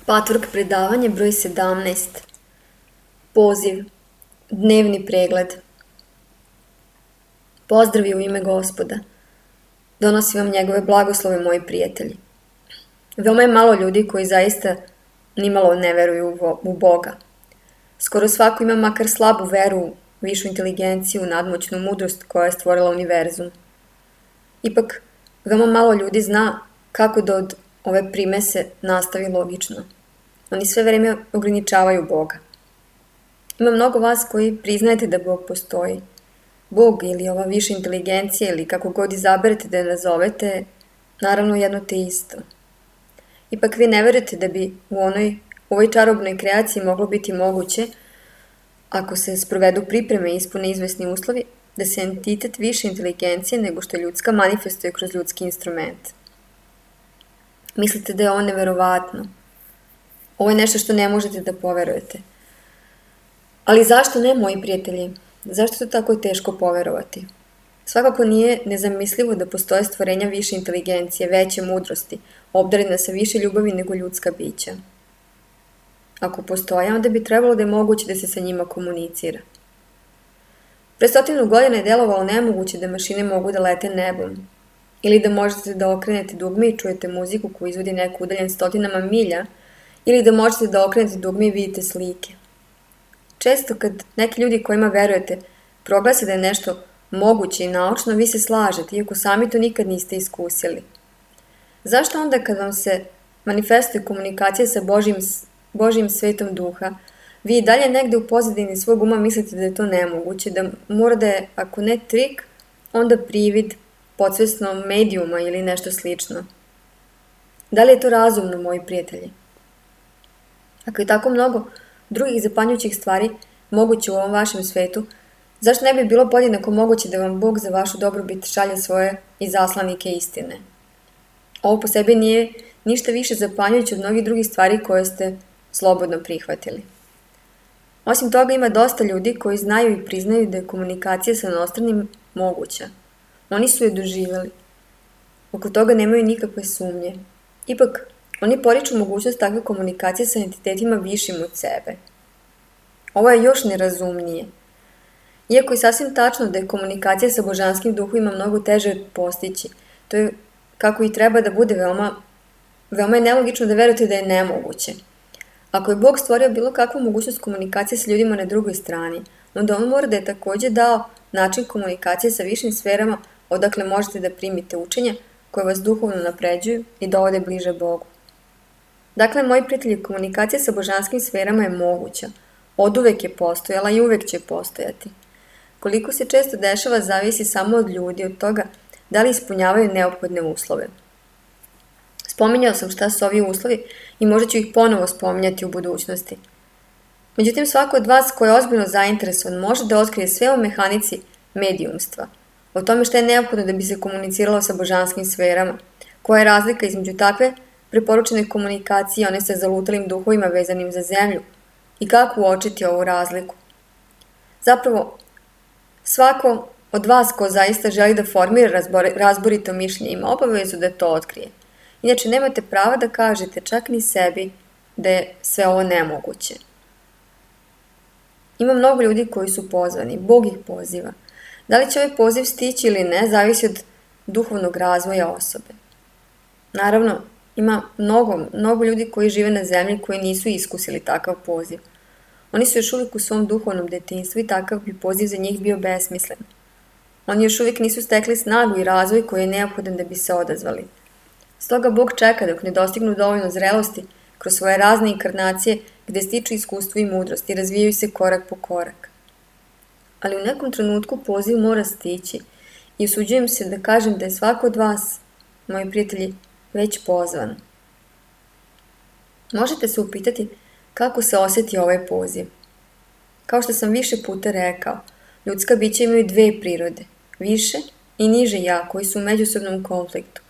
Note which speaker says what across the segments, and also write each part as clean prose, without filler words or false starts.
Speaker 1: Patvork predavanje broj 17. Poziv. Dnevni pregled. Pozdravi u ime Gospoda. Donosim vam njegove blagoslove, moji prijatelji. Veoma je malo ljudi koji zaista nimalo ne veruju u Boga. Skoro svako ima makar slabu veru, višu inteligenciju, nadmoćnu mudrost koja je stvorila univerzum. Ipak, veoma malo ljudi zna kako da od ove primese nastavi logično. Oni sve vreme ograničavaju Boga. Ima mnogo vas koji priznajete da Bog postoji. Bog ili ova viša inteligencija ili kako god izaberete da je nazovete, naravno jedno te isto. Ipak vi ne verujete da bi u ovoj čarobnoj kreaciji moglo biti moguće, ako se sprovedu pripreme i ispune izvesni uslovi, da se entitet više inteligencije nego što ljudska manifestuje kroz ljudski instrument. Mislite da je ovo neverovatno. Ovo je nešto što ne možete da poverujete. Ali zašto ne, moji prijatelji? Zašto je to tako teško poverovati? Svakako nije nezamislivo da postoje stvorenja više inteligencije, veće mudrosti, obdarena sa više ljubavi nego ljudska bića. Ako postoje, onda bi trebalo da je moguće da se sa njima komunicira. Pre 100 godina je delovalo nemoguće da mašine mogu da lete nebom, ili da možete da okrenete dugme i čujete muziku koju izvodi neko udaljen stotinama milja, ili da možete da okrenete dugme i vidite slike. Često kad neki ljudi kojima verujete proglase da je nešto moguće i naučno, vi se slažete, iako sami to nikad niste iskusili. Zašto onda kad vam se manifestuje komunikacija sa Božjim svetom duha, vi i dalje negde u pozadini svog uma mislite da je to nemoguće, da mora da je, ako ne trik, onda privid, podsvesno medijuma ili nešto slično? Da li je to razumno, moji prijatelji? Ako je tako mnogo drugih zapanjujućih stvari moguće u ovom vašem svetu, zašto ne bi bilo podjednako moguće da vam Bog za vašu dobrobit šalje svoje izaslanike istine? Ovo po sebi nije ništa više zapanjujuće od mnogih drugih stvari koje ste slobodno prihvatili. Osim toga ima dosta ljudi koji znaju i priznaju da je komunikacija sa inostranim moguća. Oni su je doživjeli. Oko toga nemaju nikakve sumnje. Ipak, oni poriču mogućnost takve komunikacije sa entitetima višim od sebe. Ovo je još nerazumnije. Iako je sasvim tačno da je komunikacija sa božanskim duhovima mnogo teže postići, to je kako i treba da bude veoma je nelogično da verujete da je nemoguće. Ako je Bog stvorio bilo kakvu mogućnost komunikacije sa ljudima na drugoj strani, onda on mora da je takođe dao način komunikacije sa višim sferama odakle možete da primite učenja koje vas duhovno napređuju i dovode bliže Bogu. Dakle, moji prijatelji, komunikacija sa božanskim sferama je moguća. Oduvek je postojala i uvek će postojati. Koliko se često dešava zavisi samo od ljudi, od toga da li ispunjavaju neophodne uslove. Spominjao sam šta su ovi uslovi i možda ću ih ponovo spominjati u budućnosti. Međutim, svako od vas ko je ozbiljno zainteresovan može da otkrije sve o mehanici medijumstva, o tome šta je neophodno da bi se komuniciralo sa božanskim sferama, koja je razlika između takve preporučene komunikacije i one sa zalutalim duhovima vezanim za zemlju i kako uočiti ovu razliku. Zapravo, svako od vas ko zaista želi da formira razborito mišljenje ima obavezu da to otkrije. Inače, nemate prava da kažete čak ni sebi da je sve ovo nemoguće. Ima mnogo ljudi koji su pozvani, Bog ih poziva. Da li će ovaj poziv stići ili ne, zavisi od duhovnog razvoja osobe. Naravno, ima mnogo ljudi koji žive na zemlji koji nisu iskusili takav poziv. Oni su još uvijek u svom duhovnom detinjstvu i takav bi poziv za njih bio besmislen. Oni još uvijek nisu stekli snagu i razvoj koji je neophodan da bi se odazvali. Stoga Bog čeka dok ne dostignu dovoljno zrelosti kroz svoje razne inkarnacije gde stiču iskustvo i mudrost i razvijaju se korak po korak. Ali u nekom trenutku poziv mora stići i usuđujem se da kažem da je svako od vas, moji prijatelji, već pozvan. Možete se upitati kako se osjeti ovaj poziv. Kao što sam više puta rekao, ljudska bića imaju dve prirode, više i niže ja koji su u međusobnom konfliktu.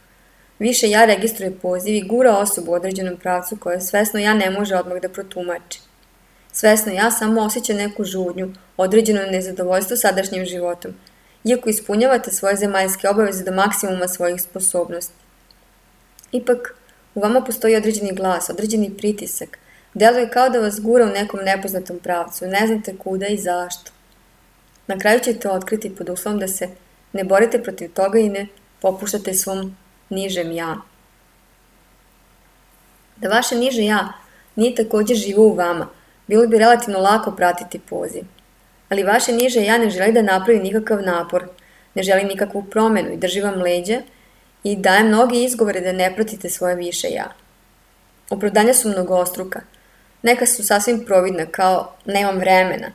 Speaker 1: Više ja registruje poziv i gura osobu u određenom pravcu koje svesno ja ne može odmah da protumači. Svesno ja samo osjeća neku žudnju, određeno nezadovoljstvo sadašnjim životom, iako ispunjavate svoje zemaljske obaveze do maksimuma svojih sposobnosti. Ipak, U vama postoji određeni glas, određeni pritisak. Deluje kao da vas gura u nekom nepoznatom pravcu, ne znate kuda i zašto. Na kraju ćete otkriti pod uslovom da se ne borite protiv toga i ne popuštate svom nižem ja. Da vaše niže ja nije također živo u vama, bilo bi relativno lako pratiti poziv. Ali vaše niže ja ne želi da napravi nikakav napor, ne želi nikakvu promenu i drži vam leđa i daje mnogi izgovore da ne pratite svoje više ja. Opravdanja su mnogostruka. Neka su sasvim providna, kao nemam vremena,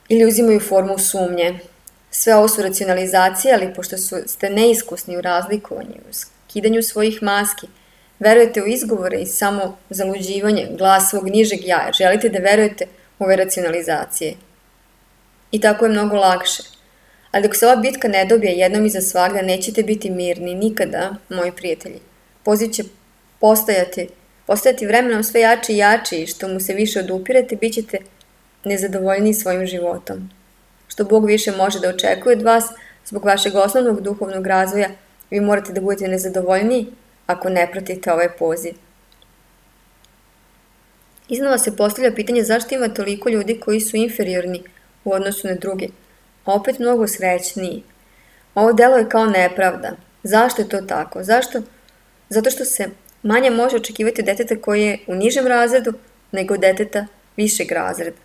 Speaker 1: ili uzimaju formu sumnje. Sve ovo su racionalizacije, ali pošto ste neiskusni u razlikovanju, u skidanju svojih maski, verujete u izgovore i samo zaluđivanje, glas svog nižeg ja, želite da verujete u ove racionalizacije. I tako je mnogo lakše. Ali dok se ova bitka ne dobije jednom i za svagda, nećete biti mirni, nikada, moji prijatelji. Poziv će postajati vremenom sve jači i jači i što mu se više odupirete, bit ćete nezadovoljniji svojim životom. Što Bog više može da očekuje od vas, zbog vašeg osnovnog duhovnog razvoja, vi morate da budete nezadovoljniji ako ne pratite ovaj poziv. Iznova se postavlja pitanje zašto ima toliko ljudi koji su inferiorni u odnosu na druge, a opet mnogo srećniji. Ovo delo je kao nepravda. Zašto je to tako? Zašto? Zato što se manje može očekivati od deteta koji je u nižem razredu nego od deteta višeg razreda.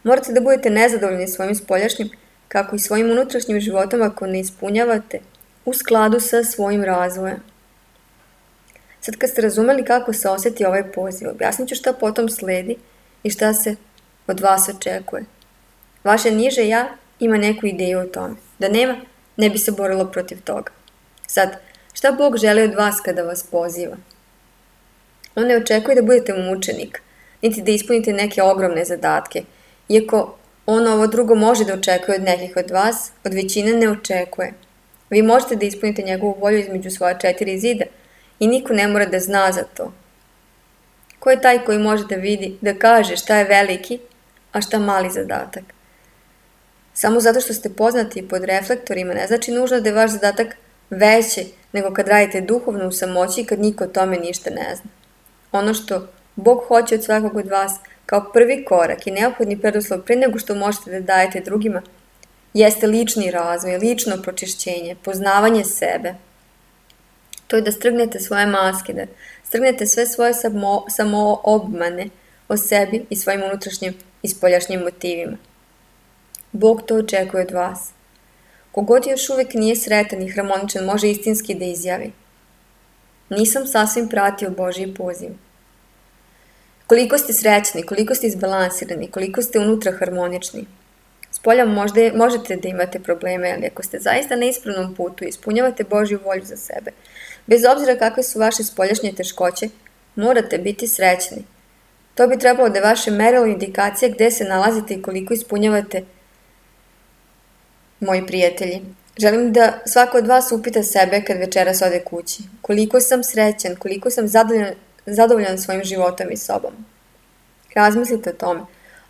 Speaker 1: Morate da budete nezadovoljni svojim spoljašnjim, kako i svojim unutrašnjim životom ako ne ispunjavate u skladu sa svojim razvojem. Sad kad ste razumeli kako se osjeti ovaj poziv, objasnit ću šta potom sledi i šta se od vas očekuje. Vaše niže ja ima neku ideju o tome. Da nema, ne bi se borilo protiv toga. Sad, šta Bog želi od vas kada vas poziva? On ne očekuje da budete mučenik, niti da ispunite neke ogromne zadatke, iako on ovo drugo može da očekuje od nekih od vas, od većine ne očekuje. Vi možete da ispunite njegovu volju između svoja 4 zida i niko ne mora da zna za to. Ko je taj koji može da vidi, da kaže šta je veliki, a šta mali zadatak? Samo zato što ste poznati pod reflektorima ne znači nužno da je vaš zadatak veći nego kad radite duhovno u samoći i kad niko o tome ništa ne zna. Ono što Bog hoće od svakog od vas kao prvi korak i neophodni preduslov pre nego što možete da dajete drugima jeste lični razvoj, lično pročišćenje, poznavanje sebe. To je da strgnete svoje maske, da strgnete sve svoje samoobmane o sebi i svojim unutrašnjim i spoljašnjim motivima. Bog to očekuje od vas. Kogod još uvek nije sretan i harmoničan može istinski da izjavi: nisam sasvim pratio Božji poziv. Koliko ste srećni, koliko ste izbalansirani, koliko ste unutra harmonični. Spolja možete da imate probleme, ali ako ste zaista na ispravnom putu i ispunjavate Božju volju za sebe, bez obzira kakve su vaše spoljašnje teškoće, morate biti srećni. To bi trebalo da je vaše merilo indikacija gde se nalazite i koliko ispunjavate. Moji prijatelji, želim da svako od vas upita sebe kad večeras ode kući. Koliko sam srećan, koliko sam zadovoljan svojim životom i sobom. Razmislite o tome.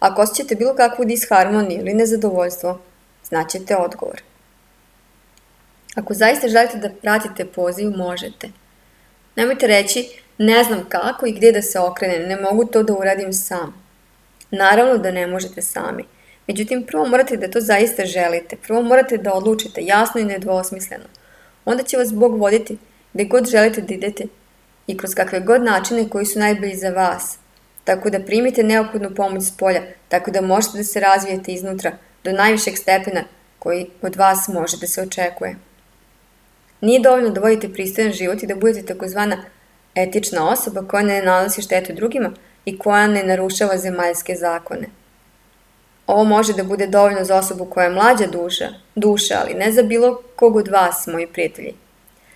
Speaker 1: Ako osjećate bilo kakvu disharmoniju ili nezadovoljstvo, znaćete odgovor. Ako zaista želite da pratite poziv, možete. Nemojte reći, ne znam kako i gdje da se okrenem, ne mogu to da uradim sam. Naravno da ne možete sami. Međutim, prvo morate da to zaista želite. Prvo morate da odlučite jasno i nedvosmisleno. Onda će vas Bog voditi gde god želite da idete i kroz kakve god načine koji su najbolji za vas. Tako da primite neophodnu pomoć s polja, tako da možete da se razvijete iznutra do najvišeg stepena koji od vas može da se očekuje. Nije dovoljno da vodite pristojan život i da budete takozvana etična osoba koja ne nanosi štetu drugima i koja ne narušava zemaljske zakone. Ovo može da bude dovoljno za osobu koja je mlađa duša, ali ne za bilo kog od vas, moji prijatelji.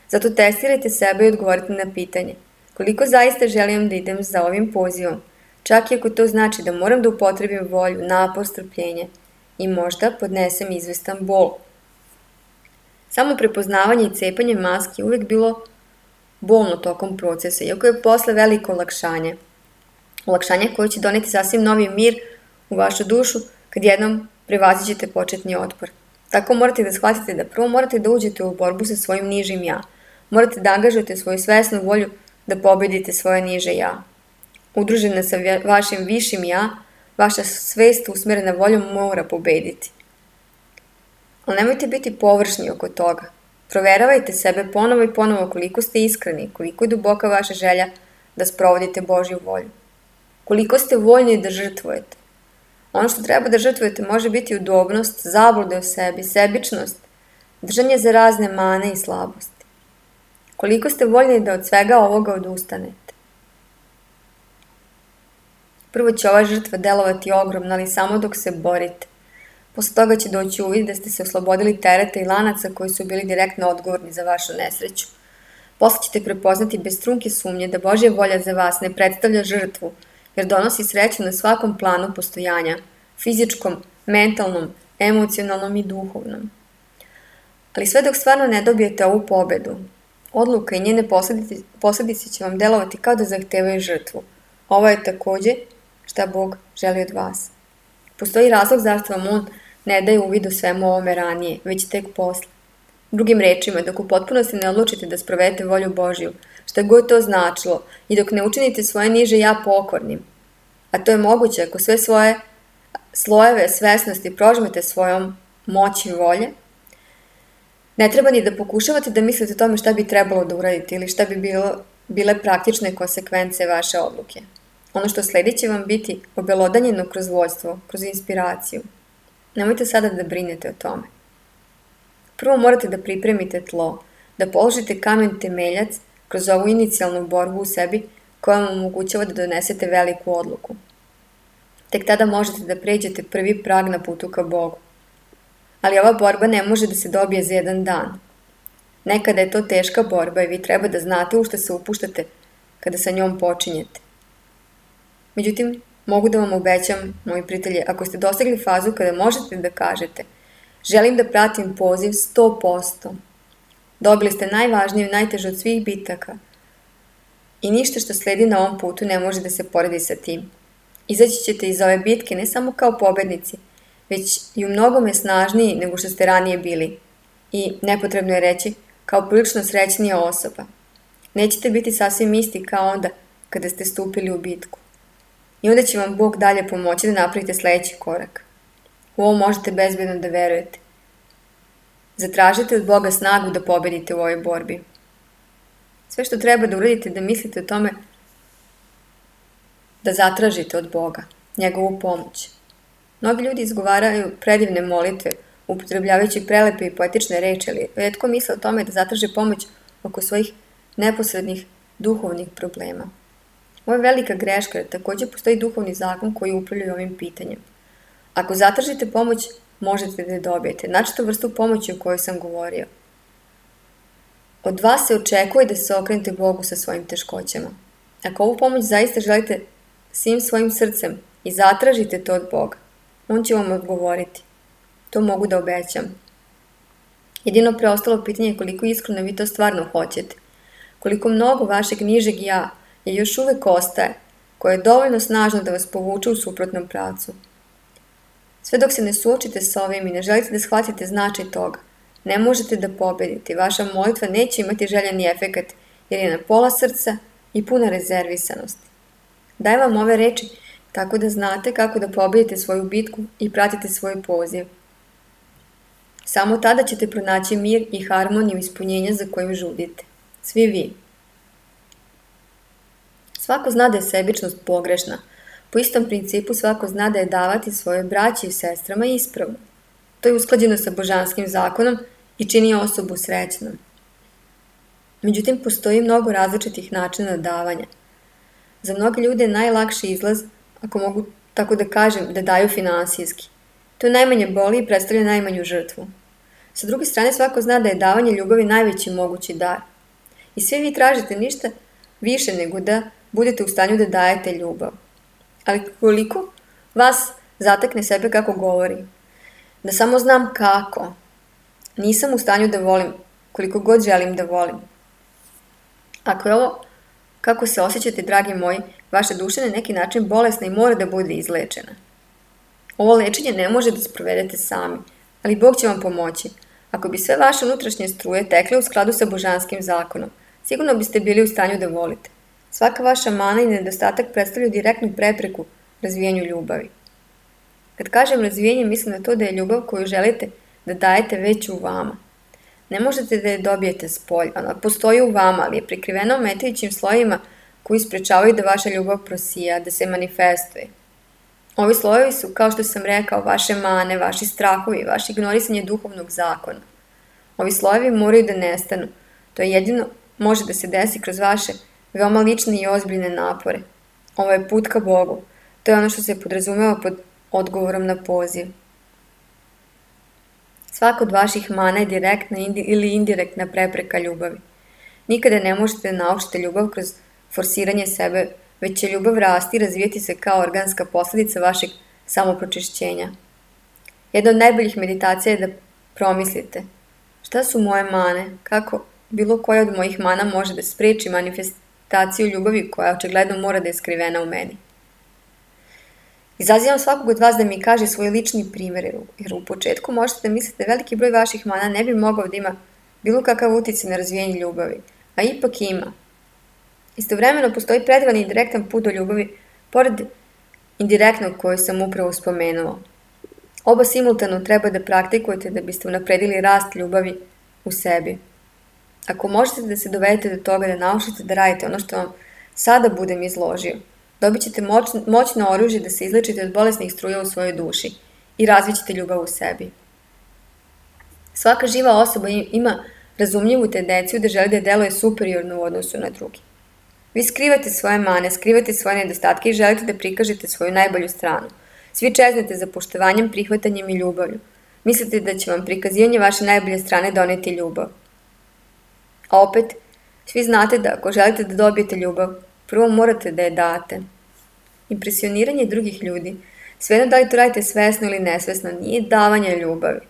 Speaker 1: Zato testirajte sebe i odgovorite na pitanje: koliko zaista želim da idem za ovim pozivom, čak i ako to znači da moram da upotrebim volju, napor, strpljenje i možda podnesem izvestan bol. Samo prepoznavanje i cepanje maski uvijek bilo bolno tokom procesa, iako je posle veliko olakšanje. Olakšanje koje će doneti sasvim novi mir u vašu dušu kad jednom prevazićete početni otpor. Tako morate da shvatite da prvo morate da uđete u borbu sa svojim nižim ja. Morate da angažujete svoju svesnu volju da pobedite svoje niže ja. Udružena sa vašim višim ja, vaša svest usmerena voljom mora pobediti. Ali nemojte biti površni oko toga. Proveravajte sebe ponovo i ponovo koliko ste iskreni, koliko je duboka vaša želja da sprovodite Božju volju. Koliko ste voljni da žrtvujete. Ono što treba da žrtvujete može biti udobnost, zablude o sebi, sebičnost, držanje za razne mane i slabosti. Koliko ste voljni da od svega ovoga odustanete. Prvo će ova žrtva delovati ogromno, ali samo dok se borite. Posle toga će doći uvid da ste se oslobodili tereta i lanaca koji su bili direktno odgovorni za vašu nesreću. Posle ćete prepoznati bez trunke sumnje da Božja volja za vas ne predstavlja žrtvu, jer donosi sreću na svakom planu postojanja, fizičkom, mentalnom, emocionalnom i duhovnom. Ali sve dok stvarno ne dobijete ovu pobedu, odluka i njene posledice će vam delovati kao da zahtevaju žrtvu. Ovo je takođe šta Bog želi od vas. Postoji razlog zašto vam On ne daje uvid o svemu ovome ranije, već tek posle. Drugim rečima, dok u potpunosti ne odlučite da sprovedete volju Božju, šta god to značilo, i dok ne učinite svoje niže ja pokornim, a to je moguće ako sve svoje slojeve svesnosti prožmete svojom moći volje, ne treba ni da pokušavate da mislite o tome šta bi trebalo da uradite ili šta bi bile praktične konsekvence vaše odluke. Ono što sledi će vam biti obelodanjeno kroz vođstvo, kroz inspiraciju. Nemojte sada da brinete o tome. Prvo morate da pripremite tlo, da položite kamen temeljac kroz ovu inicijalnu borbu u sebi koja vam omogućava da donesete veliku odluku. Tek tada možete da pređete prvi prag na putu ka Bogu. Ali ova borba ne može da se dobije za jedan dan. Nekada je to teška borba i vi treba da znate u što se upuštate kada sa njom počinjete. Međutim, mogu da vam obećam, moji prijatelji, ako ste dostigli fazu kada možete da kažete želim da pratim poziv 100%, dobili ste najvažniju i najtežu od svih bitaka i ništa što sledi na ovom putu ne može da se poredi sa tim. Izaći ćete iz ove bitke ne samo kao pobednici, već i u mnogome snažniji nego što ste ranije bili i, nepotrebno je reći, kao prilično srećnija osoba. Nećete biti sasvim isti kao onda kada ste stupili u bitku. I onda će vam Bog dalje pomoći da napravite sledeći korak. U ovo možete bezbedno da verujete. Zatražite od Boga snagu da pobedite u ovoj borbi. Sve što treba da uradite da mislite o tome da zatražite od Boga njegovu pomoć. Mnogi ljudi izgovaraju predivne molitve, upotrebljavajući prelepe i poetične reči, ali retko misle o tome da zatraže pomoć oko svojih neposrednih duhovnih problema. Ovo je velika greška, jer takođe postoji duhovni zakon koji upravlja ovim pitanjem. Ako zatražite pomoć, možete da je dobijete. Znači to vrstu pomoći o kojoj sam govorio. Od vas se očekuje da se okrenete Bogu sa svojim teškoćama. Ako ovu pomoć zaista želite svim svojim srcem i zatražite to od Boga, On će vam odgovoriti. To mogu da obećam. Jedino preostalo pitanje je koliko iskreno vi to stvarno hoćete. Koliko mnogo vašeg nižeg ja je još uvek ostaje, koje je dovoljno snažno da vas povuče u suprotnom pravcu. Sve dok se ne suočite sa ovim i ne želite da shvatite značaj toga, ne možete da pobedite. Vaša molitva neće imati željeni efekat jer je na pola srca i puna rezervisanosti. Dajem vam ove reči tako da znate kako da pobedite svoju bitku i pratite svoj poziv. Samo tada ćete pronaći mir i harmoniju ispunjenja za kojim žudite. Svi vi. Svako zna da je sebičnost pogrešna. Po istom principu svako zna da je davati svoje braći i sestrama ispravno. To je usklađeno sa božanskim zakonom i čini osobu srećnom. Međutim, postoji mnogo različitih načina davanja. Za mnoge ljude je najlakši izlaz, ako mogu tako da kažem, da daju finansijski. To najmanje boli i predstavlja najmanju žrtvu. Sa druge strane, svako zna da je davanje ljubavi najveći mogući dar. I svi vi tražite ništa više nego da budete u stanju da dajete ljubav. Ali koliko vas zatekne sebe kako govori? Da samo znam kako. Nisam u stanju da volim koliko god želim da volim. Ako je ovo kako se osjećate, dragi moji, vaša duša na neki način bolesna i mora da bude izlečena. Ovo lečenje ne može da sprovedete sami, ali Bog će vam pomoći. Ako bi sve vaše unutrašnje struje tekle u skladu sa božanskim zakonom, sigurno biste bili u stanju da volite. Svaka vaša mana i nedostatak predstavljaju direktnu prepreku razvijanju ljubavi. Kad kažem razvijenje, mislim na to da je ljubav koju želite da dajete već u vama. Ne možete da je dobijete spolja, ona postoji u vama, ali je prikrivena ometajućim slojima koji sprečavaju da vaša ljubav prosija, da se manifestuje. Ovi slojevi su, kao što sam rekao, vaše mane, vaši strahovi, vaše ignorisanje duhovnog zakona. Ovi slojevi moraju da nestanu. To je jedino može da se desi kroz vaše veoma lične i ozbiljne napore. Ovo je put ka Bogu. To je ono što se podrazumeva pod odgovorom na poziv. Svaka od vaših mana je direktna ili indirektna prepreka ljubavi. Nikada ne možete da naučite ljubav kroz forsiranje sebe, već će ljubav rasti i razvijeti se kao organska posledica vašeg samopročišćenja. Jedna od najboljih meditacija je da promislite šta su moje mane, kako bilo koja od mojih mana može da spreči manifestaciju ljubavi koja očigledno mora da je skrivena u meni. Izazivam svakog od vas da mi kaže svoj lični primjer, jer u početku možete da mislite veliki broj vaših mana ne bi mogao da ima bilo kakav uticaj na razvijanje ljubavi, a ipak ima. Istovremeno postoji predivan i direktan put do ljubavi, pored indirektnog koju sam upravo spomenuo. Oba simultano treba da praktikujete da biste unapredili rast ljubavi u sebi. Ako možete da se dovedete do toga da naučite da radite ono što vam sada budem izložio, dobit ćete moćno oružje da se izlečite od bolesnih struja u svojoj duši i razvićete ljubav u sebi. Svaka živa osoba ima razumljivu tendenciju da želi da deluje superiorno u odnosu na drugi. Vi skrivate svoje mane, skrivate svoje nedostatke i želite da prikažete svoju najbolju stranu. Svi čeznete za poštovanjem, prihvatanjem i ljubavlju. Mislite da će vam prikazivanje vaše najbolje strane doneti ljubav. A opet, svi znate da ako želite da dobijete ljubav, prvo morate da je date. Impresioniranje drugih ljudi, svejedno da li to radite svesno ili nesvesno, nije davanje ljubavi.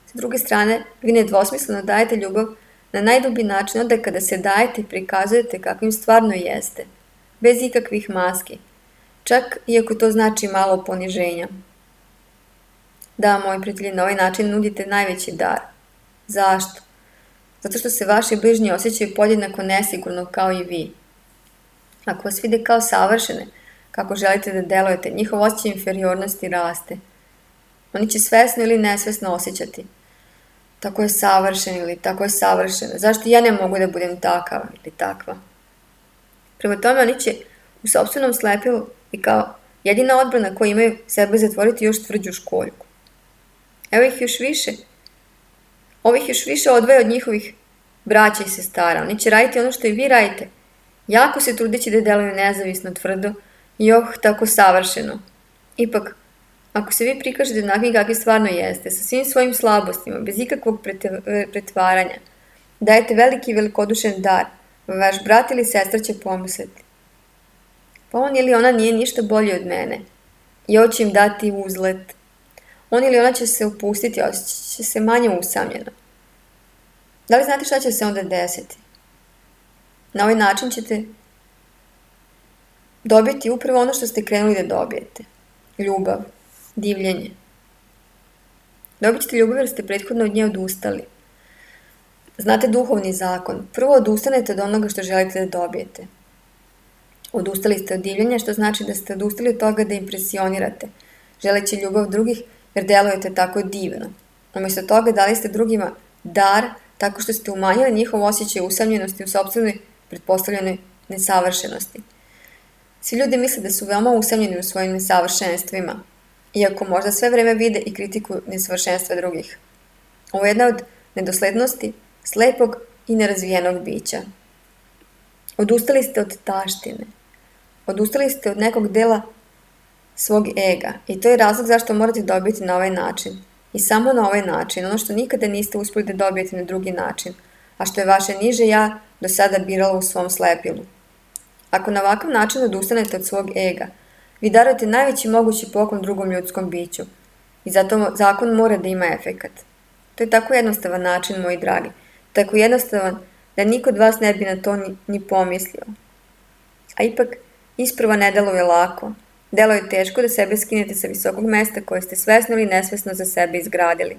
Speaker 1: S druge strane, vi nedvosmisleno dajete ljubav na najdublji način onda kada se dajete i prikazujete kakvim stvarno jeste, bez ikakvih maski, čak iako to znači malo poniženja. Da, moji prijatelji, na ovaj način nudite najveći dar. Zašto? Zato što se vaši bližnji osjećaju podjednako nesigurno kao i vi. Ako vas vide kao savršene, kako želite da delujete, njihov osjećaj inferiornosti raste. Oni će svesno ili nesvesno osjećati. Tako je savršen ili tako je savršena. Zašto ja ne mogu da budem takav ili takva? Prema tome, oni će u sopstvenom slepilu i kao jedina odbrana koju imaju sebe zatvoriti još tvrđu školjku. Ovih još više odvaja od njihovih braća i sestara. Oni će raditi ono što i vi radite. Jako se trudeći da deluju nezavisno, tvrdo i tako savršeno. Ipak, ako se vi prikažete onakvim kakvi stvarno jeste, sa svim svojim slabostima, bez ikakvog pretvaranja, dajete veliki i velikodušen dar, vaš brat ili sestra će pomisliti. Pa on ili ona nije ništa bolji od mene. I ovo će im dati uzlet. On ili ona će se opustiti, osjećat će se manje usamljeno. Da li znate šta će se onda desiti? Na ovaj način ćete dobiti upravo ono što ste krenuli da dobijete. Ljubav, divljenje. Dobit ćete ljubav jer ste prethodno od nje odustali. Znate duhovni zakon. Prvo odustanete od onoga što želite da dobijete. Odustali ste od divljenja, što znači da ste odustali od toga da impresionirate, želeći ljubav drugih jer delujete tako divno. Umjesto toga dali ste drugima dar tako što ste umanjili njihov osjećaj usamljenosti u sopstvenoj pretpostavljenoj nesavršenosti. Svi ljudi misle da su veoma usamljeni u svojim nesavršenstvima, iako možda sve vreme vide i kritikuju nesavršenstva drugih. Ovo je jedna od nedoslednosti slepog i nerazvijenog bića. Odustali ste od taštine. Odustali ste od nekog dela svog ega i to je razlog zašto morate dobiti na ovaj način. I samo na ovaj način, ono što nikada niste uspjeli da dobijete na drugi način, a što je vaše niže ja do sada biralo u svom slepilu. Ako na ovakav način odustanete od svog ega, vi darujete najveći mogući poklon drugom ljudskom biću i zato zakon mora da ima efekat. To je tako jednostavan način, moji dragi, tako jednostavan da niko od vas ne bi na to ni pomislio. A ipak, isprva ne deluje lako. Delo je teško da sebe skinete sa visokog mesta koje ste svesno ili nesvesno za sebe izgradili.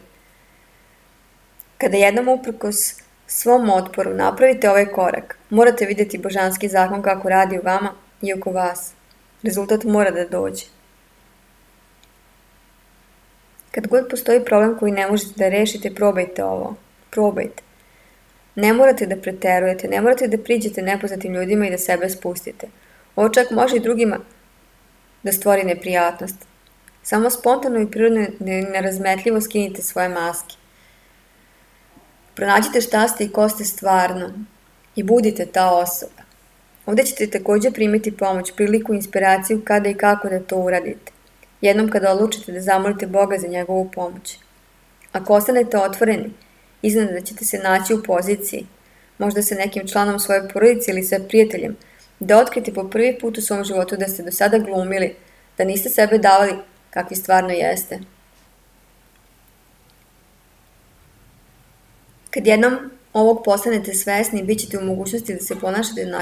Speaker 1: Kada jednom uprkos Svom otporu napravite ovaj korak. Morate vidjeti božanski zakon kako radi u vama i oko vas. Rezultat mora da dođe. Kad god postoji problem koji ne možete da rešite, probajte ovo. Probajte. Ne morate da preterujete, ne morate da priđete nepoznatim ljudima i da sebe spustite. Ovo čak može i drugima da stvori neprijatnost. Samo spontano i prirodno nerazmetljivo skinite svoje maske. Pronađite šta ste i ko ste stvarno i budite ta osoba. Ovdje ćete također primiti pomoć, priliku, inspiraciju kada i kako da to uradite. Jednom kada odlučite da zamolite Boga za njegovu pomoć. Ako ostanete otvoreni, iznenada ćete se naći u poziciji, možda sa nekim članom svoje porodice ili sa prijateljem, da otkrite po prvi put u svom životu da ste do sada glumili, da niste sebe davali kakvi stvarno jeste. Kad jednom ovog postanete svesni, bit ćete u mogućnosti da se ponašate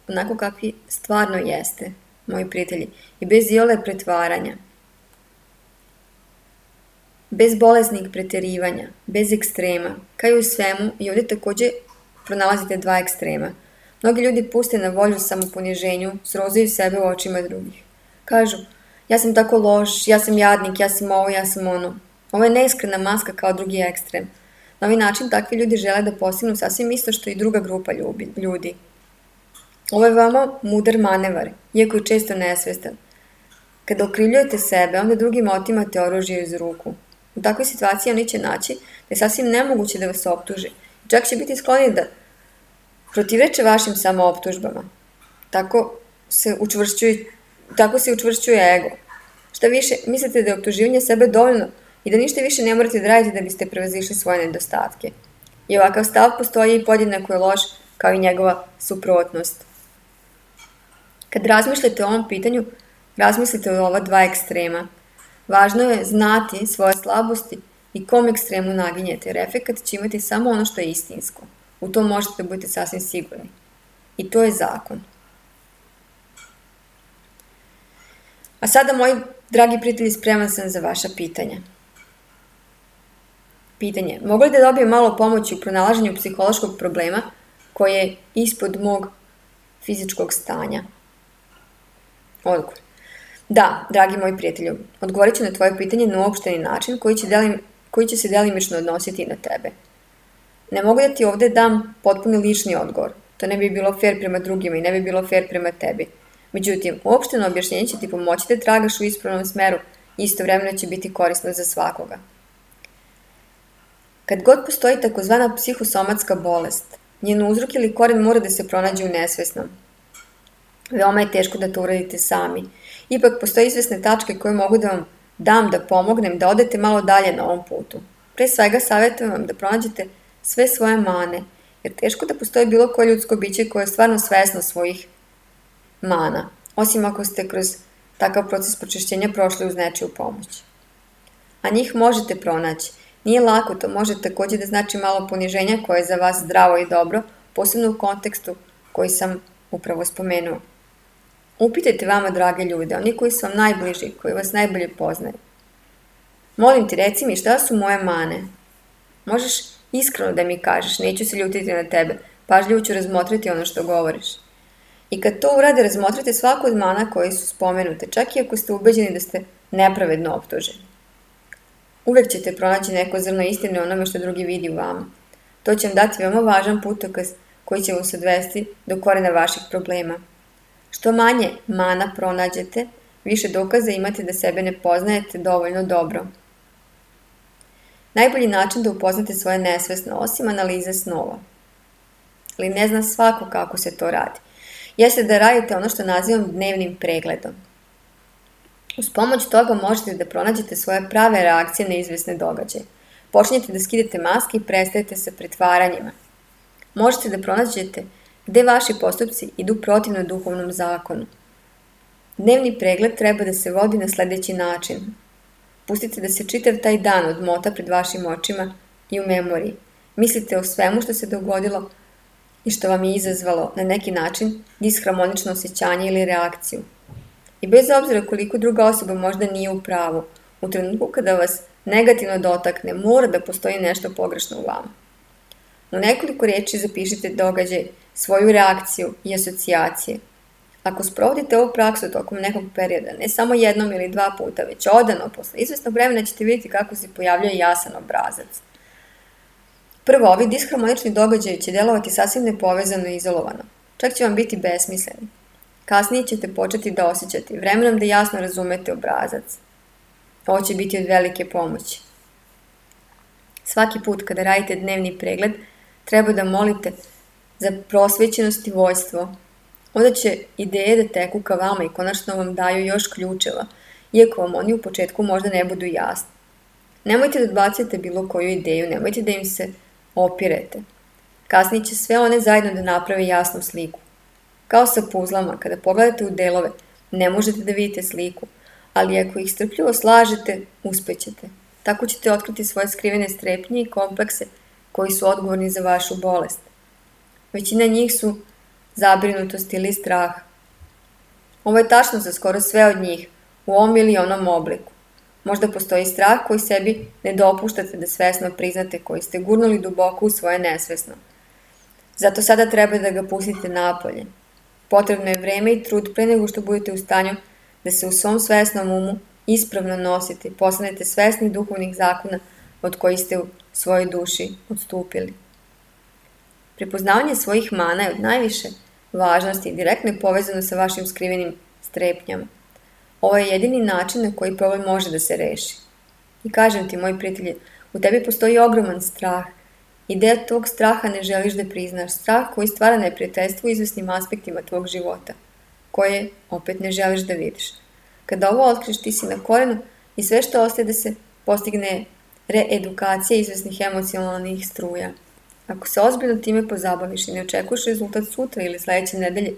Speaker 1: onako kakvi stvarno jeste, moji prijatelji, i bez iole pretvaranja. Bez bolesnih preterivanja, bez ekstrema, kao i u svemu, i ovdje također pronalazite dva ekstrema. Mnogi ljudi puste na volju samoponiženju, srozaju sebe u očima drugih. Kažu, ja sam tako loš, ja sam jadnik, ja sam ovo, ja sam ono. Ovo je neiskrena maska kao drugi ekstrem. Na ovaj način takvi ljudi žele da postignu sasvim isto što i druga grupa ljudi. Ovo je veoma mudar manevar, iako je često nesvestan. Kada okrivljujete sebe, onda drugima otimate oružje iz ruku. U takvoj situaciji oni će naći da je sasvim nemoguće da vas optuže. Čak će biti skloni da protivreče vašim samooptužbama. Tako se učvršćuje ego. Šta više, mislite da je optuživanje sebe dovoljno i da ništa više ne morate da radite da biste prevazišli svoje nedostatke. I ovakav stav postoji i podjednako je loš kao i njegova suprotnost. Kad razmišljate o ovom pitanju, razmislite o ova dva ekstrema. Važno je znati svoje slabosti i kom ekstremu naginjete, jer efekat će imati samo ono što je istinsko. U to možete da budete sasvim sigurni. I to je zakon. A sada, moji dragi prijatelji, spreman sam za vaša pitanja. Pitanje. Mogu li da dobijem malo pomoći u pronalaženju psihološkog problema koji je ispod mog fizičkog stanja? Odgovor. Da, dragi moji prijatelji, odgovorit ću na tvoje pitanje na uopšteni način koji će se delimično odnositi na tebe. Ne mogu da ti ovdje dam potpuno lični odgovor. To ne bi bilo fair prema drugima i ne bi bilo fair prema tebi. Međutim, uopšteno objašnjenje će ti pomoći da tragaš u ispravnom smeru i istovremeno će biti korisno za svakoga. Kad god postoji takozvana psihosomatska bolest, njen uzrok ili koren mora da se pronađe u nesvesnom. Veoma je teško da to uradite sami. Ipak postoje izvesne tačke koje mogu da vam dam da pomognem da odete malo dalje na ovom putu. Pre svega savjetujem vam da pronađete sve svoje mane, jer teško da postoji bilo koje ljudsko biće koje je stvarno svesno svojih mana, osim ako ste kroz takav proces pročišćenja prošli uz nečiju pomoć. A njih možete pronaći. Nije lako, to može također da znači malo poniženja koje je za vas zdravo i dobro, posebno u kontekstu koji sam upravo spomenuo. Upitajte vama, drage ljude, oni koji su vam najbliži, koji vas najbolje poznaju. Molim ti, reci mi šta su moje mane. Možeš iskreno da mi kažeš, neću se ljutiti na tebe, pažljivo ću razmotriti ono što govoriš. I kad to urade, razmotrite svaku od mana koje su spomenute, čak i ako ste ubeđeni da ste nepravedno optuženi. Uvek ćete pronaći neko zrno istine onome što drugi vidi u vama. To će vam dati veoma važan putokaz koji će vas odvesti do korena vaših problema. Što manje mana pronađete, više dokaza imate da sebe ne poznajete dovoljno dobro. Najbolji način da upoznate svoje nesvesno, osim analize snova, ali ne zna svako kako se to radi, jeste da radite ono što nazivam dnevnim pregledom. Uz pomoć toga možete da pronađete svoje prave reakcije na izvesne događaje. Počnete da skidate maske i prestajete sa pretvaranjima. Možete da pronađete gde vaši postupci idu protivno duhovnom zakonu. Dnevni pregled treba da se vodi na sledeći način. Pustite da se čitav taj dan odmota pred vašim očima i u memoriji. Mislite o svemu što se dogodilo i što vam je izazvalo na neki način disharmonično osjećanje ili reakciju. I bez obzira koliko druga osoba možda nije u pravu, u trenutku kada vas negativno dotakne, mora da postoji nešto pogrešno u vama. U nekoliko riječi zapišite događaj, svoju reakciju i asocijacije. Ako sprovodite ovu praksu tokom nekog perioda, ne samo jednom ili 2 puta, već odano, posle izvesnog vremena ćete vidjeti kako se pojavljuje jasan obrazac. Prvo, ovi disharmonični događaji će delovati sasvim nepovezano i izolovano. Čak će vam biti besmisleni. Kasnije ćete početi da osjećate vremenom da jasno razumete obrazac. Ovo će biti od velike pomoći. Svaki put kada radite dnevni pregled, treba da molite za prosvećenost i vojstvo. Onda će ideje da teku ka vama i konačno vam daju još ključeva, iako vam oni u početku možda ne budu jasni. Nemojte da odbacujete bilo koju ideju, nemojte da im se opirete. Kasnije će sve one zajedno da naprave jasnu sliku. Kao sa puzlama, kada pogledate u delove, ne možete da vidite sliku, ali ako ih strpljivo slažete, uspećete. Tako ćete otkriti svoje skrivene strepnje i komplekse koji su odgovorni za vašu bolest. Većina njih su zabrinutost ili strah. Ovo je tačno za skoro sve od njih, u ovom ili onom obliku. Možda postoji strah koji sebi ne dopuštate da svesno priznate, koji ste gurnuli duboko u svoje nesvesno. Zato sada treba da ga pustite napolje. Potrebno je vreme i trud pre nego što budete u stanju da se u svom svesnom umu ispravno nosite i postanete svesni duhovnih zakona od kojih ste u svojoj duši odstupili. Prepoznavanje svojih mana je od najviše važnosti i direktno je povezano sa vašim skrivenim strepnjama. Ovo je jedini način na koji problem može da se reši. I kažem ti, moji prijatelji, u tebi postoji ogroman strah. Ideja tog straha ne želiš da priznaš. Strah koji stvara neprijateljstvo u izvesnim aspektima tvog života, koje opet ne želiš da vidiš. Kada ovo otkriš, ti si na korenu i sve što ostaje da se postigne reedukacija izvesnih emocionalnih struja. Ako se ozbiljno time pozabaviš i ne očekuješ rezultat sutra ili sledeće nedelje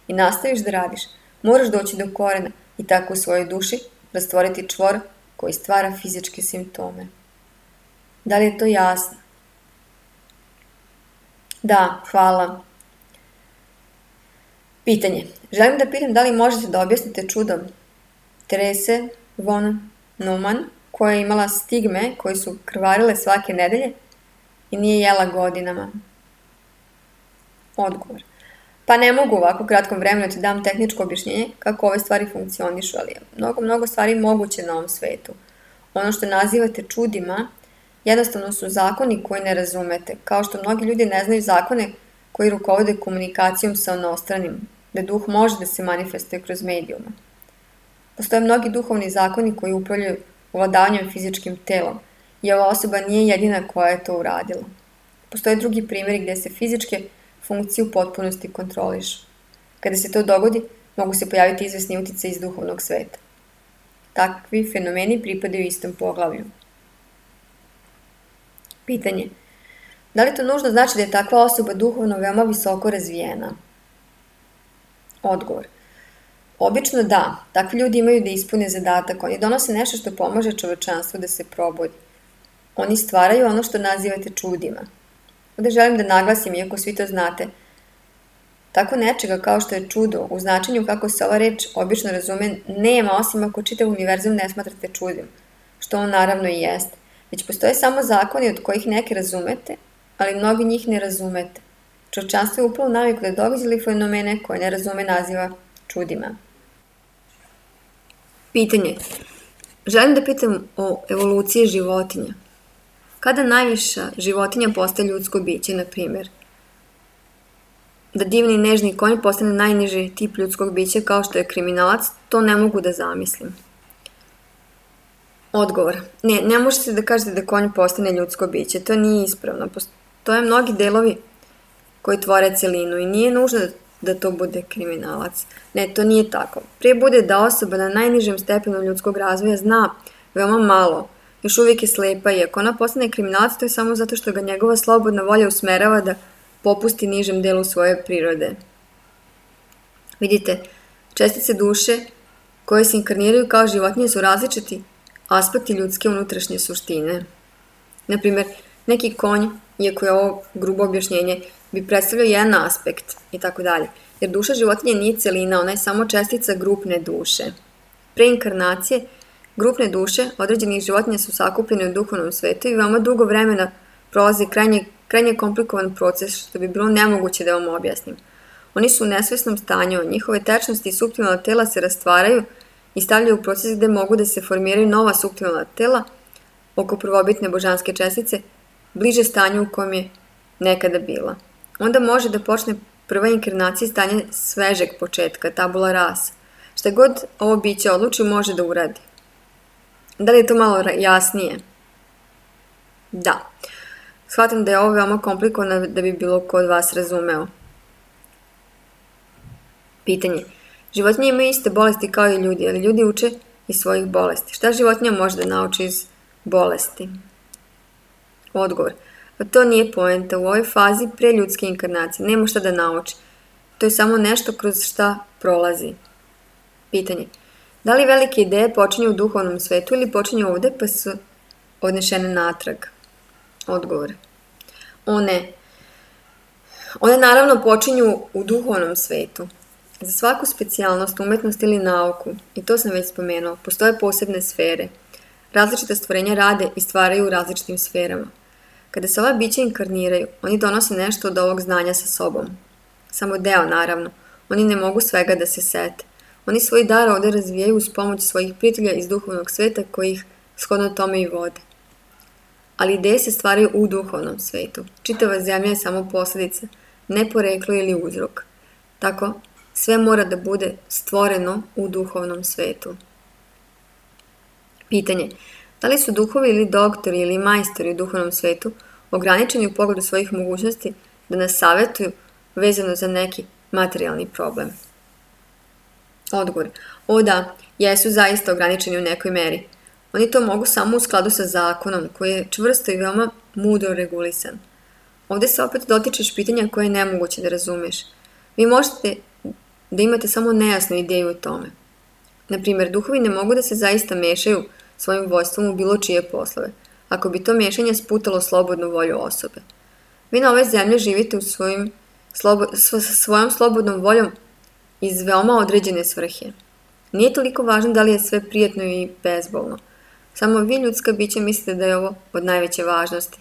Speaker 1: i nastaviš da radiš, moraš doći do korena i tako u svojoj duši rastvoriti čvor koji stvara fizičke simptome. Da li je to jasno? Da, hvala. Pitanje. Želim da pitam da li možete da objasnite čudo Terese von Neumann, koja je imala stigme koje su krvarile svake nedelje i nije jela godinama. Odgovor. Pa ne mogu u ovako kratkom vremenu da ti dam tehničko objašnjenje kako ove stvari funkcionišu, ali je mnogo stvari moguće na ovom svetu. Ono što nazivate čudima jednostavno su zakoni koji ne razumete, kao što mnogi ljudi ne znaju zakone koji rukovode komunikacijom sa onostranim, da duh može da se manifestuje kroz medijuma. Postoje mnogi duhovni zakoni koji upravljaju ovladavanjem fizičkim telom i ova osoba nije jedina koja je to uradila. Postoje drugi primjeri gdje se fizičke funkcije u potpunosti kontrolišu. Kada se to dogodi, mogu se pojaviti izvesni uticaji iz duhovnog sveta. Takvi fenomeni pripadaju istom poglavlju. Pitanje. Da li to nužno znači da je takva osoba duhovno veoma visoko razvijena? Odgovor. Obično da. Takvi ljudi imaju da ispune zadatak. Oni donose nešto što pomaže čovečanstvu da se probudi. Oni stvaraju ono što nazivate čudima. Ovdje želim da naglasim, iako svi to znate, tako nečega kao što je čudo, u značenju kako se ova reč obično razume, nema osim ako čitav univerzum ne smatrate čudim, što on naravno i jeste. Već postoje samo zakoni od kojih neke razumete, ali mnogi njih ne razumete. Čovečanstvo je upalo naviku da događali fenomene koje ne razume naziva čudima. Pitanje. Želim da pitam o evoluciji životinja. Kada najviša životinja postaje ljudsko biće, na primjer? Da divni i nežni konj postane najniži tip ljudskog bića kao što je kriminalac, to ne mogu da zamislim. Odgovor. Ne možete da kažete da konj postane ljudsko biće, to nije ispravno. Postoje mnogi delovi koji tvore celinu i nije nužno da to bude kriminalac. Ne, to nije tako. Prije bude da osoba na najnižem stepenu ljudskog razvoja zna veoma malo, još uvijek je slepa i ako ona postane kriminalac, to je samo zato što ga njegova slobodna volja usmerava da popusti nižem delu svoje prirode. Vidite, čestice duše koje se inkarniraju kao životinje su različiti aspekti ljudske unutrašnje suštine. Naprimjer, neki konj, iako je ovo grubo objašnjenje, bi predstavljao jedan aspekt i tako dalje, jer duša životinje nije celina, ona je samo čestica grupne duše. Pre inkarnacije, grupne duše određenih životinja su sakupljene u duhovnom svetu i veoma dugo vremena prolaze krajnje krajnje komplikovan proces što bi bilo nemoguće da vam objasnim. Oni su u nesvesnom stanju, njihove tečnosti i suptilna tela se rastvaraju i stavljaju u proces gde mogu da se formiraju nova suptilna tela oko prvobitne božanske čestice, bliže stanju u kojem je nekada bila. Onda može da počne prva inkarnacija stanje svežeg početka, tabula rasa. Šta god ovo biće odluči može da uradi. Da li je to malo jasnije? Da. Shvatam da je ovo veoma komplikovano da bi bilo ko od vas razumeo. Pitanje. Životinje imaju iste bolesti kao i ljudi, ali ljudi uče iz svojih bolesti. Šta životinja može da nauči iz bolesti? Odgovor. Pa to nije poenta. U ovoj fazi pre ljudske inkarnacije nema šta da nauči. To je samo nešto kroz šta prolazi. Pitanje. Da li velike ideje počinju u duhovnom svetu ili počinju ovde pa su odnešene natrag? Odgovor. One naravno počinju u duhovnom svetu. Za svaku specijalnost, umetnost ili nauku, i to sam već spomenuo, postoje posebne sfere. Različita stvorenja rade i stvaraju u različitim sferama. Kada se ova bića inkarniraju, oni donose nešto od ovog znanja sa sobom. Samo deo, naravno. Oni ne mogu svega da se sete. Oni svoj dar ovde razvijaju uz pomoć svojih prijatelja iz duhovnog sveta koji ih shodno tome i vode. Ali ideje se stvaraju u duhovnom svetu. Čitava zemlja je samo posljedica, ne poreklo ili uzrok. Tako, sve mora da bude stvoreno u duhovnom svetu. Pitanje. Da li su duhovi ili doktori ili majstori u duhovnom svetu ograničeni u pogledu svojih mogućnosti da nas savjetuju vezano za neki materijalni problem? Odgovor. O da, jesu zaista ograničeni u nekoj meri. Oni to mogu samo u skladu sa zakonom, koji je čvrsto i veoma mudro regulisan. Ovde se opet dotičeš pitanja koje je nemoguće da razumeš. Vi možete da imate samo nejasnu ideju o tome. Naprimjer, duhovi ne mogu da se zaista mešaju svojim vojstvom u bilo čije poslove, ako bi to mešanje sputalo slobodnu volju osobe. Vi na ovoj zemlji živite u svojom slobodnom voljom iz veoma određene svrhe. Nije toliko važno da li je sve prijatno i bezbolno. Samo vi, ljudska bića, mislite da je ovo od najveće važnosti.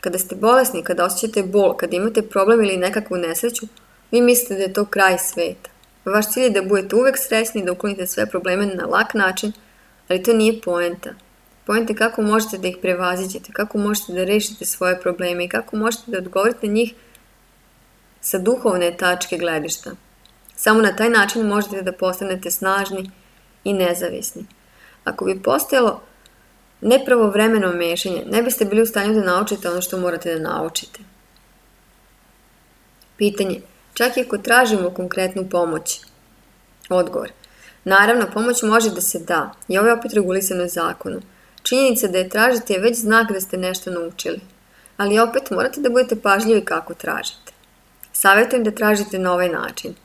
Speaker 1: Kada ste bolesni, kada osjećate bol, kada imate problem ili nekakvu nesreću, vi mislite da je to kraj sveta. Vaš cilj je da budete uvek srećni, da uklonite sve probleme na lak način, ali to nije poenta. Poenta je kako možete da ih prevaziđete, kako možete da rešite svoje probleme i kako možete da odgovorite njih sa duhovne tačke gledišta. Samo na taj način možete da postanete snažni i nezavisni. Ako bi postojalo nepravovremeno mešanje, ne biste bili u stanju da naučite ono što morate da naučite. Pitanje. Čak i ako tražimo konkretnu pomoć. Odgovor. Naravno, pomoć može da se da i ovo je opet regulisano zakonom. Činjenica da je tražite je već znak da ste nešto naučili. Ali opet morate da budete pažljivi kako tražite. Savjetujem da tražite na ovaj način.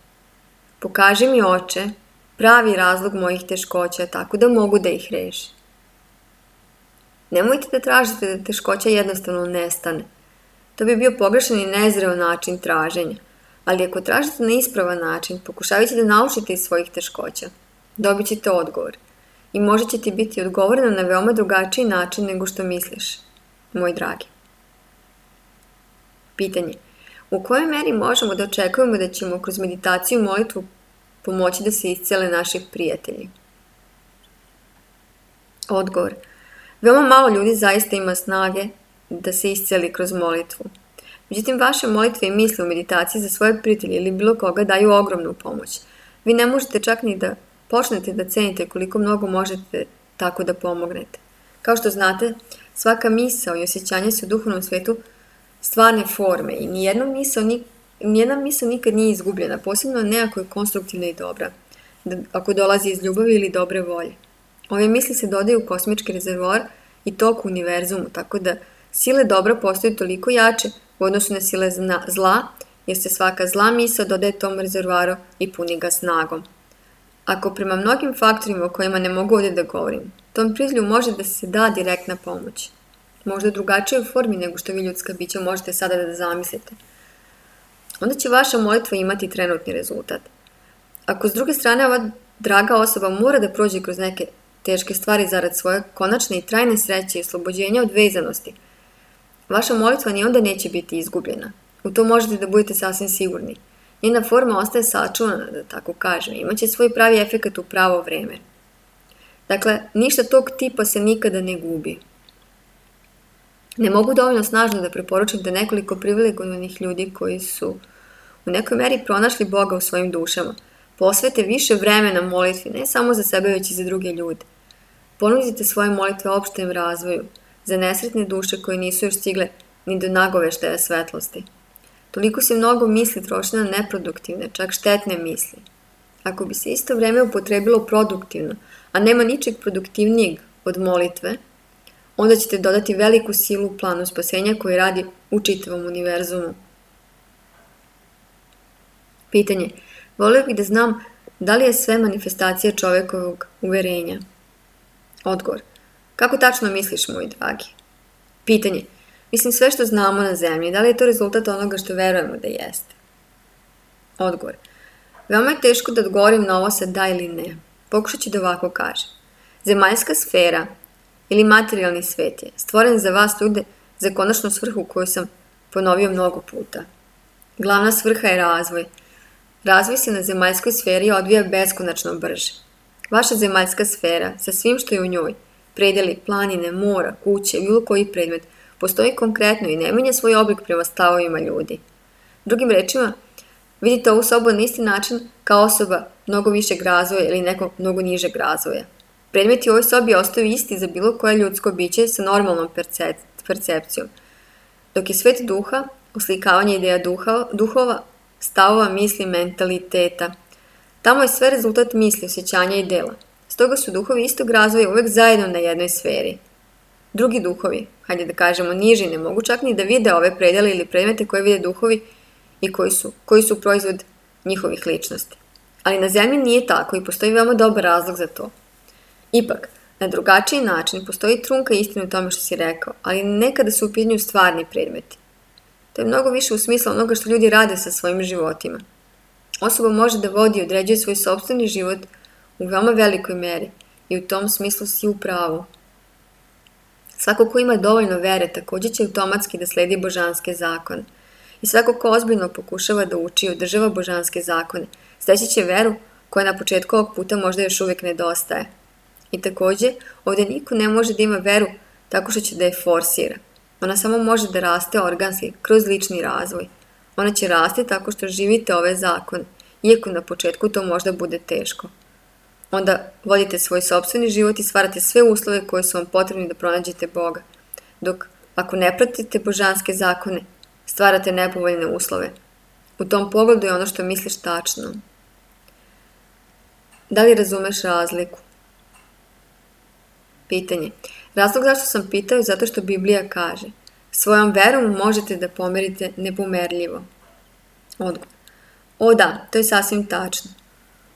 Speaker 1: Pokaži mi, Oče, pravi razlog mojih teškoća tako da mogu da ih rešim. Nemojte da tražite da teškoća jednostavno nestane. To bi bio pogrešan i nezreo način traženja. Ali ako tražite na ispravan način, pokušavajući da naučite iz svojih teškoća, dobit ćete odgovor. I možda će ti biti odgovoreno na veoma drugačiji način nego što misliš, moj dragi. Pitanje. U kojoj meri možemo da očekujemo da ćemo kroz meditaciju i molitvu pomoći da se iscele naši prijatelji? Odgovor. Veoma malo ljudi zaista ima snage da se isceli kroz molitvu. Međutim, vaše molitve i misle u meditaciji za svoje prijatelje ili bilo koga daju ogromnu pomoć. Vi ne možete čak ni da počnete da cenite koliko mnogo možete tako da pomognete. Kao što znate, svaka misao i osjećanje su u duhovnom svetu stvarne forme i nijedna misao nikad nije izgubljena, posebno ne ako je konstruktivna i dobra, ako dolazi iz ljubavi ili dobre volje. Ove misli se dodaju u kosmički rezervoar i tok u univerzumu, tako da sile dobra postaju toliko jače u odnosu na sile zla, jer se svaka zla misao dodaje tom rezervoaru i puni ga snagom. Ako prema mnogim faktorima o kojima ne mogu ovdje da govorim, tom prijatelju može da se da direktna pomoć. Možda u drugačijoj formi nego što vi ljudska bića možete sada da zamislite. Onda će vaša molitva imati trenutni rezultat. Ako s druge strane ova draga osoba mora da prođe kroz neke teške stvari zarad svoje konačne i trajne sreće i oslobođenja od vezanosti, Vaša molitva ni onda neće biti izgubljena. U to možete da budete sasvim sigurni. Njena forma ostaje sačuvana, da tako kažem. Imaće svoj pravi efekat u pravo vreme. Dakle, ništa tog tipa se nikada ne gubi. Ne mogu dovoljno snažno da preporučim da nekoliko privilegovanih ljudi koji su u nekoj meri pronašli Boga u svojim dušama posvete više vremena molitvi, ne samo za sebe, već i za druge ljude. Ponudite svoje molitve opštem razvoju, za nesretne duše koje nisu još stigle ni do nagoveštaja svetlosti. Toliko se mnogo misli troši na neproduktivne, čak štetne misli. Ako bi se isto vreme upotrebilo produktivno, a nema ničeg produktivnijeg od molitve, onda ćete dodati veliku silu u planu spasenja koji radi u čitavom univerzumu. Pitanje. Volio bih da znam da li je sve manifestacija čovekovog uverenja? Odgovor. Kako tačno misliš, moj dragi? Pitanje. Mislim sve što znamo na zemlji, da li je to rezultat onoga što verujemo da jeste? Odgovor. Veoma je teško da odgovorim na ovo sa da ili ne. Pokušat ću da ovako kažem. Zemaljska sfera ili materijalni svet je stvoren za vas ljude za konačnu svrhu koju sam ponovio mnogo puta. Glavna svrha je razvoj. Razvoj se na zemaljskoj sferi odvija beskonačno brže. Vaša zemaljska sfera, sa svim što je u njoj, predeli, planine, mora, kuće, bilo koji predmet, postoji konkretno i ne menja svoj oblik prema stavovima ljudi. Drugim rečima, vidite ovu sobu na isti način kao osoba mnogo višeg razvoja ili nekog mnogo nižeg razvoja. Predmeti u ovoj sobi ostaju isti za bilo koje ljudsko biće sa normalnom percepcijom, dok je svet duha, oslikavanje ideja duhova, stavova, misli, mentaliteta. Tamo je sve rezultat misli, osjećanja i dela. Stoga su duhovi istog razvoja uvek zajedno na jednoj sferi. Drugi duhovi, hajde da kažemo niži, ne mogu čak ni da vide ove predele ili predmete koje vide duhovi i koji su proizvod njihovih ličnosti. Ali na zemlji nije tako i postoji veoma dobar razlog za to. Ipak, na drugačiji način postoji trunka istine u tome što si rekao, ali nekada su u pitanju stvarni predmeti. To je mnogo više u smislu onoga što ljudi rade sa svojim životima. Osoba može da vodi i određuje svoj sopstveni život u veoma velikoj meri i u tom smislu si u pravu. Svako ko ima dovoljno vere takođe će automatski da sledi božanske zakone. I svako ko ozbiljno pokušava da uči i održava božanske zakone, steći će veru koja na početku ovog puta možda još uvijek nedostaje. I takođe, ovdje niko ne može da ima veru tako što će da je forsira. Ona samo može da raste organski, kroz lični razvoj. Ona će rasti tako što živite ove zakone, iako na početku to možda bude teško. Onda vodite svoj sopstveni život i stvarate sve uslove koje su vam potrebni da pronađete Boga. Dok, ako ne pratite božanske zakone, stvarate nepovoljne uslove. U tom pogledu je ono što misliš tačno. Da li razumeš razliku? Pitanje. Razlog zašto sam pitao je zato što Biblija kaže: svojom verom možete da pomerite nepomerljivo. Odgovor. O da, to je sasvim tačno.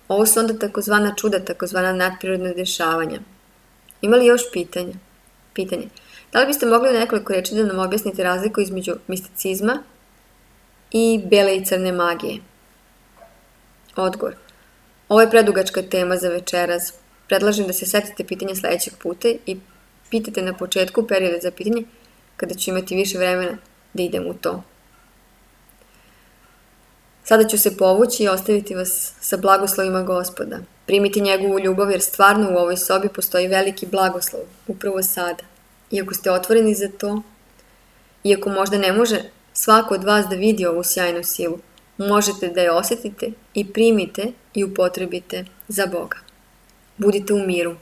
Speaker 1: Ovo su onda takozvana čuda, takozvana nadprirodna dešavanja. Ima li još pitanja? Pitanje. Da li biste mogli u nekoliko reči da nam objasnite razliku između misticizma i bele i crne magije? Odgovor. Ovo je predugačka tema za večeras. Predlažem da se setite pitanja sledećeg puta i pitate na početku perioda za pitanje, kada ću imati više vremena da idem u to. Sada ću se povući i ostaviti vas sa blagoslovima Gospoda. Primite njegovu ljubav jer stvarno u ovoj sobi postoji veliki blagoslov, upravo sada. Iako ste otvoreni za to, iako možda ne može svako od vas da vidi ovu sjajnu silu, možete da je osjetite i primite i upotrebite za Boga. Budite u miru.